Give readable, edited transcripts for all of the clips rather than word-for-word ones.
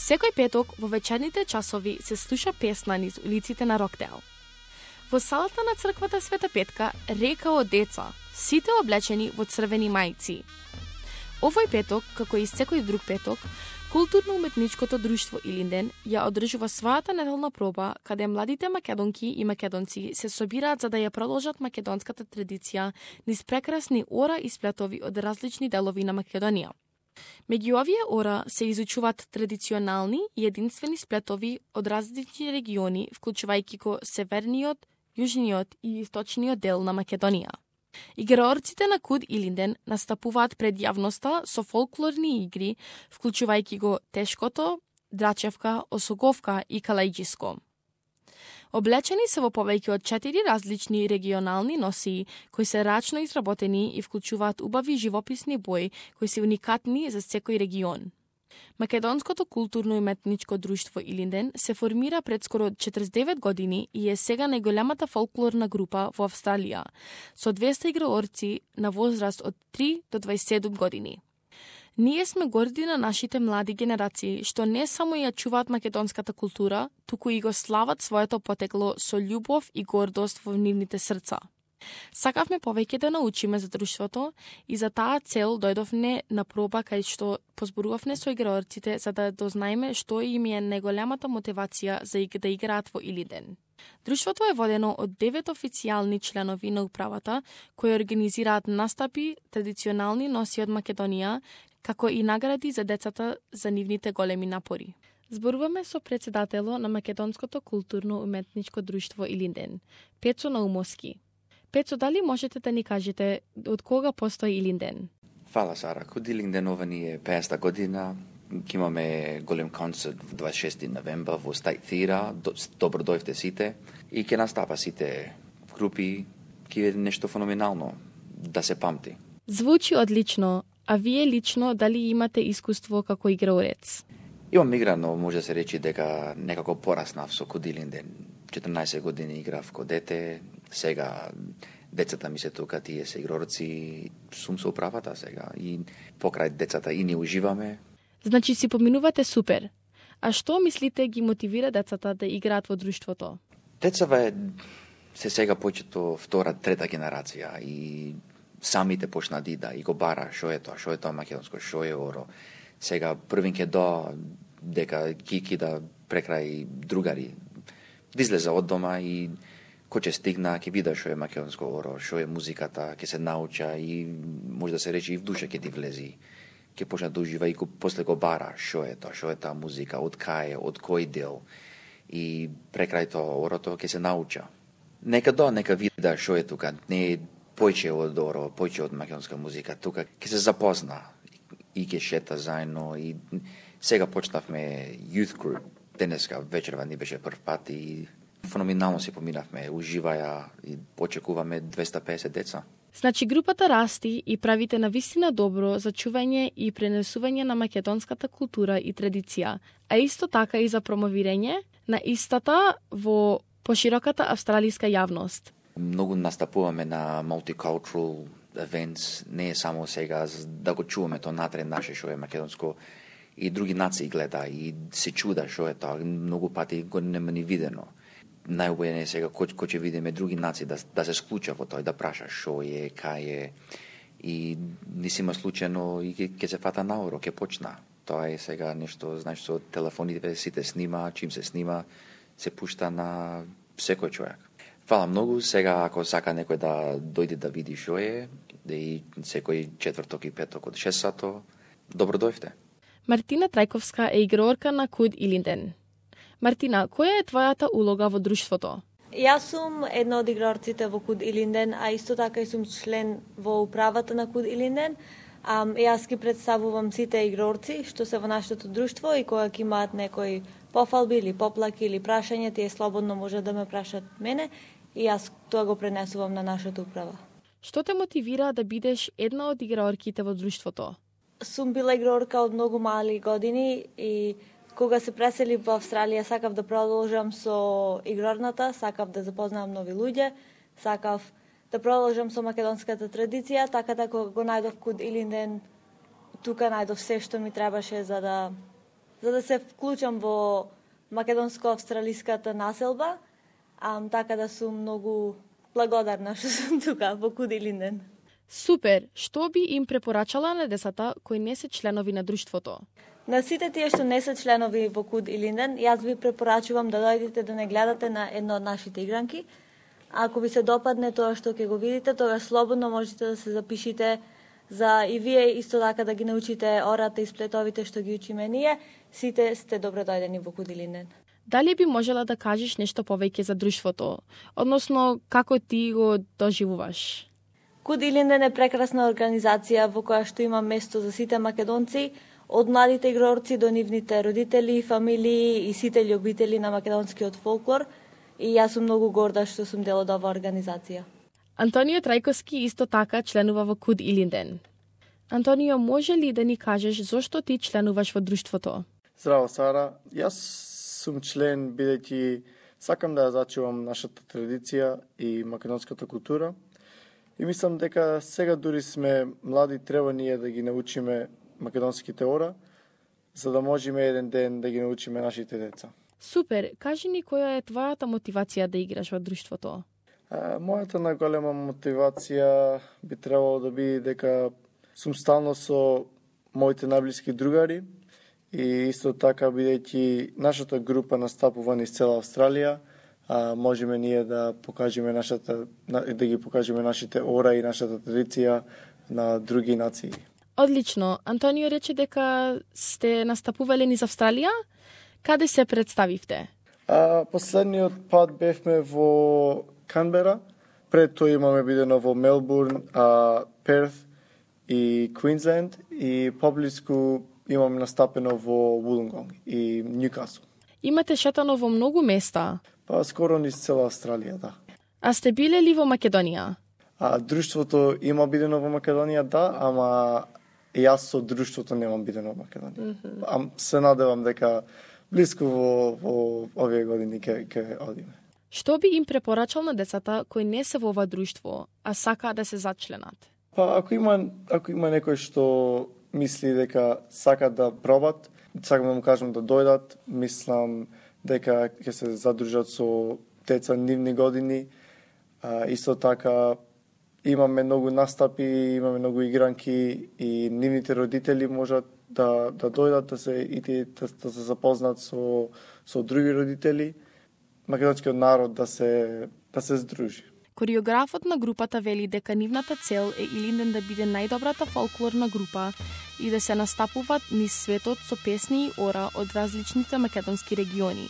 Секој петок во вечерните часови се слуша песна низ улиците на Рокдейл. Во салата на црквата Света Петка рекао деца, сите облечени во црвени мајци. Овој петок, како и секој друг петок, Културно-уметничкото друштво Илинден ја одржува својата неделна проба, каде младите македонки и македонци се собираат за да ја продолжат македонската традиција низ прекрасни ора и сплетови од различни делови на Македонија. Меѓу овие ора се изучуваат традиционални и единствени сплетови од различни региони, вклучувајќи го северниот, јужниот и источниот дел на Македонија. Играорците на Куд Илинден настапуваат пред јавноста со фолклорни игри, вклучувајќи го тешкото, драчевка, осоговка и калајџиско. Облечени се во повеќе од 4 различни регионални носии, кои се рачно изработени и вклучуваат убави живописни бои, кои се уникатни за секој регион. Македонското културно-уметничко друштво Илинден се формира пред скоро 49 години и е сега најголемата фолклорна група во Австралија, со 200 играорци на возраст од 3 до 27 години. Ние сме горди на нашите млади генерации, што не само ја чуваат македонската култура, туку и го слават своето потекло со љубов и гордост во нивните срца. Сакавме повеќе да научиме за друштвото и за таа цел дојдовме на проба кај што позборувавме со играорците за да дознаеме што им е најголемата мотивација за да играат во Илинден. Друштвото е водено од 9 официјални членови на управата кои организираат настапи, традиционални носи од Македонија, како и награди за децата за нивните големи напори. Зборуваме со претседатело на Македонското културно-уметничко друштво Илинден, Пецо Наумовски. Пецо, дали можете да ни кажете од кога постои Илинден? Фала, Сара. Куд Илинден ова ни е 50-та година. Ќе имаме голем концерт в 26 новембар во State Theatre. Добро дојдовте сите. И ќе настапа сите групи. Ќе е нешто феноменално да се памти. Звучи одлично. А вие лично дали имате искуство како играорец? Имам играно, може да се речи дека некако пораснав со Куд Илинден. 14 години играв ко дете. Сега децата ми се тука, тие се игрорци, сум со управата сега и покрај децата и ни уживаме. Значи си поминувате супер. А што мислите ги мотивира децата да играат во друштвото? Децата се сега почето втора, трета генерација и самите почна да и го бара што е тоа македонско, што е оро. Сега првин ке дека кики да прекрај другари. Да излеза од дома и кој ќе стигна, ќе вида што е македонско оро, што е музиката, ќе се науча и може да се рече и в душа ќе ти влези. Ќе почне да ужива и после го бара што е таа музика, од кај е, од кој дел. И прекрај тоа орото ќе се науча. Нека вида што е тука, не е појче од оро, појче од македонска музика, тука ќе се запозна и ќе шета заедно и сега почнавме youth group. Денеска вечерва ни беше прв пат и феноменално си поминавме, уживаја и очекуваме 250 деца. Значи групата расти и правите навистина добро за чување и пренесување на македонската култура и традиција, а исто така и за промовирање на истата во пошироката австралиска јавност. Многу настапуваме на multicultural events, не е само сега да го чуваме тоа натре наше што е македонско, и други нации гледа и се чуда што е тоа, многу пати го нема ни видено. Најубаво е сега кој ќе видиме други нации да се склуча во тоа, да праша што е, кај е. И не си има случајно и ќе се фата наоро, ќе почна. Тоа е сега нешто, знаеш, со телефоните сите снима, чим се снима, се пушта на секој човек. Фала многу, сега ако сака некој да дојде да види што е, да и секој четврток и петок од 6 сато, добро дојдовте. Мартина Трајковска е играорка на Куд Илинден. Мартина, која е твојата улога во друштвото? Јас сум една од играорците во Куд Илинден, а исто така и сум член во управата на Куд Илинден. Јас ги представувам сите играорци што се во нашето друштво и кога ќе имаат некои пофалби или поплаки или прашања, тие слободно може да ме прашат мене и јас тоа го пренесувам на нашата управа. Што те мотивира да бидеш една од играорките во друштвото? Сум била играорка од многу мали години и кога се преселив во Австралија сакав да продолжам со играрната, сакав да запознавам нови луѓе, сакав да продолжам со македонската традиција, така да кога го најдов Куд Илинден, тука најдов се што ми требаше за да за да се вклучам во македонско-австралиската населба, така да сум многу благодарна што сум тука во Куд Илинден. Супер! Што би им препорачала на децата кои не се членови на друштвото? На сите тие што не се членови во Куд Илинден, јас ви препорачувам да дојдете да не гледате на една од нашите игранки. Ако ви се допадне тоа што ќе го видите, тогаш слободно можете да се запишите за и вие исто така да ги научите ората и сплетовите што ги учиме ние. Сите сте добро дојдени во Куд Илинден. Дали би можела да кажеш нешто повеќе за друштвото? Односно, како ти го доживуваш? Куд Илинден е прекрасна организација во која што има место за сите македонци, од младите игрорци до нивните родители, фамилии и сите љубители на македонскиот фолклор. И јас сум многу горда што сум дел од оваа организација. Антонио Трајковски исто така членува во Куд Илинден. Антонио, може ли да ни кажеш зошто ти членуваш во друштвото? Здраво, Сара. Јас сум член бидејќи сакам да ја зачувам нашата традиција и македонската култура. И мислам дека сега дури сме млади, треба ние да ги научиме македонските ора, за да можеме еден ден да ги научиме нашите деца. Супер! Кажи ни која е твојата мотивација да играш во друштвото? Мојата најголема мотивација би требало да биде дека сум стално со моите најблиски другари и исто така бидејќи нашата група настапува низ цела Австралија, можеме ние да покажеме да ги покажеме нашите ора и нашата традиција на други нации. Одлично. Антонио рече дека сте настапувале низ Австралија? Каде се представивте? Последниот пат бевме во Канбера, пред тоа имаме бидено во Мелбурн, Перт и Квинсленд и поблиску имаме настапено во Вулонгонг и Ньюкасл. Имате шетано во многу места? Скоро низ цела Австралија, да. А сте биле ли во Македонија? Друштвото има бидено во Македонија, да, ама јас со друштвото немам бидено во Македонија. Се надевам дека блиску во овие години ќе одиме. Што би им препорачал на децата кои не се во ова друштво, а сакаат да се зачленат? Ако има некој што мисли дека сака да пробат, сакам да му кажам да дојдат, мислам дека ќе се задружат со деца нивни години. Исто така имаме многу настапи, имаме многу игранки и нивните родители можат да дојдат да се запознат со други родители, македонскиот народ да се здружи. Кореографот на групата вели дека нивната цел е Илинден да биде најдобрата фолклорна група и да се настапуваат низ светот со песни и ора од различните македонски региони.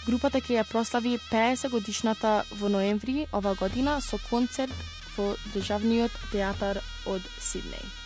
Групата ќе ја прослави 50 годишната во ноември ова година со концерт во Државниот театар од Сиднеј.